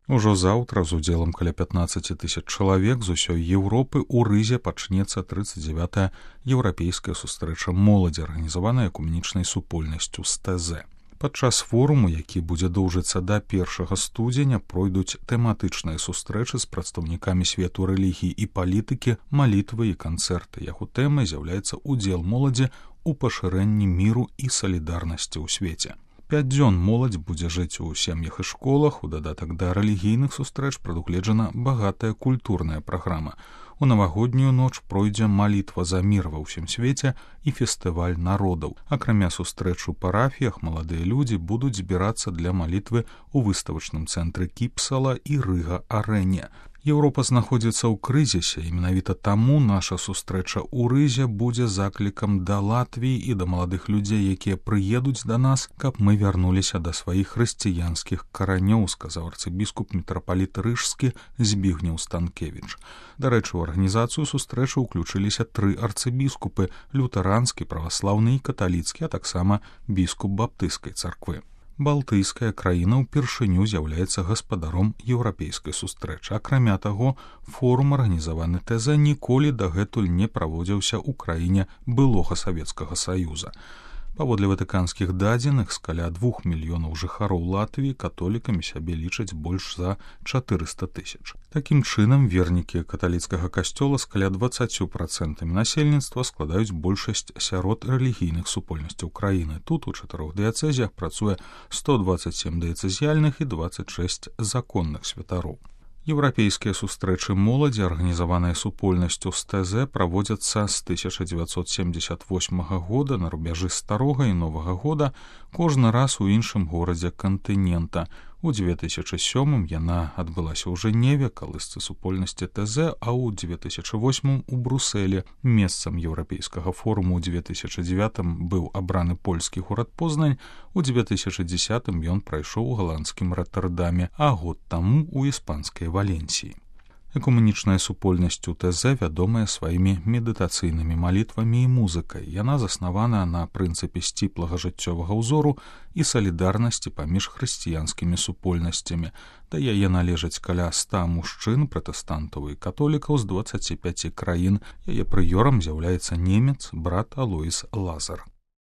Ужо заўтра з удзелам каля 15 000 чалавек з усёй Еўропы ў Рызе пачнецца 39-я еўрапейская сустрэча моладзі, арганізаваная экуменічнай супольнасцю з ТЗ. Падчас форуму, які будзе доўжыцца да 1 студзеня, пройдуць тэматычныя сустрэчы з прадстаўнікамі свету рэлігіі і палітыкі, малітвы і канцэрты. Яго тэмай з'яўляецца удзел моладзі ў пашырэнні міру і салідарнасці ў свеце. 5 дзён моладзь будзе жыць у сем'ях і школах. У дадатак да рэлігійных сустрэч прадугледжана багатая культурная праграма. У навагоднюю ноч пройдзе малітва за мір ва ўсім свеце і фестываль народаў. Акрамя сустрэч у парафіях, маладыя людзі будуць збірацца для малітвы ў выставачным цэнтры Кіпсала і Рыга-арэне. Еўропа знаходзіцца ў крызісе, і менавіта таму наша сустрэча ў Рызе будзе заклікам да Латвіі і да маладых людзей, якія прыедуць да нас, каб мы вярнуліся да сваіх хрысціянскіх каранёў, сказаў арцыбіскуп мітрапаліт Рыжскі Збігнеў Станкевіч. Дарэчы, у арганізацыю сустрэчы ўключыліся 3 арцыбіскупы: лютэранскі, праваслаўны і каталіцкі, а таксама біскуп баптысцкай царквы. Балтыйская краіна ўпершыню з'яўляецца гаспадаром еўрапейскай сустрэчы. Акрамя таго, форум, арганізаваны ТЗ, ніколі дагэтуль не праводзіўся ў краіне былога Савецкага Саюза. Паводле ватыканскіх дадзеных, з каля 2 мільёнаў жыхароў Латвіі католікамі сябе лічаць больш за 400 000. Такім чынам, вернікі каталіцкага касцёла з каля 20% насельніцтва складаюць большасць сярод рэлігійных супольнасцяў краіны. Тут у 4 дыяцэзіях працуе 127 дыяцэзіяльных і 26 законных святароў. Еўрапейскія сустрэчы моладзі, арганізаваныя супольнасцю з ТЗ, праводзяцца з 1978 года на рубяжы старога і новага года, кожны раз у іншым горадзе кантынента. У 2007 яна адбылася ў Жэневе, калысцы супольнасці ТЗ, а ў 2008 у Брусэле. Месцам еўрапейскага форуму ў 2009 быў абраны польскі горад Познань, у 2010 ён прайшоў у галандскім Роттердаме, а год таму у іспанскай Валенсіі. Экуменічная супольнасць у ТЗ вядомая сваімі медытацыйнымі малітвамі і музыкай. Яна заснавана на прынцыпе сціплага жыццёвага ўзору і салідарнасці паміж хрысціянскімі супольнасцямі. Да яе належаць каля 100 мужчын, пратэстантаў і католікаў з 25 краін. Яе прыёрам з'яўляецца немец брат Алоіс Лазар.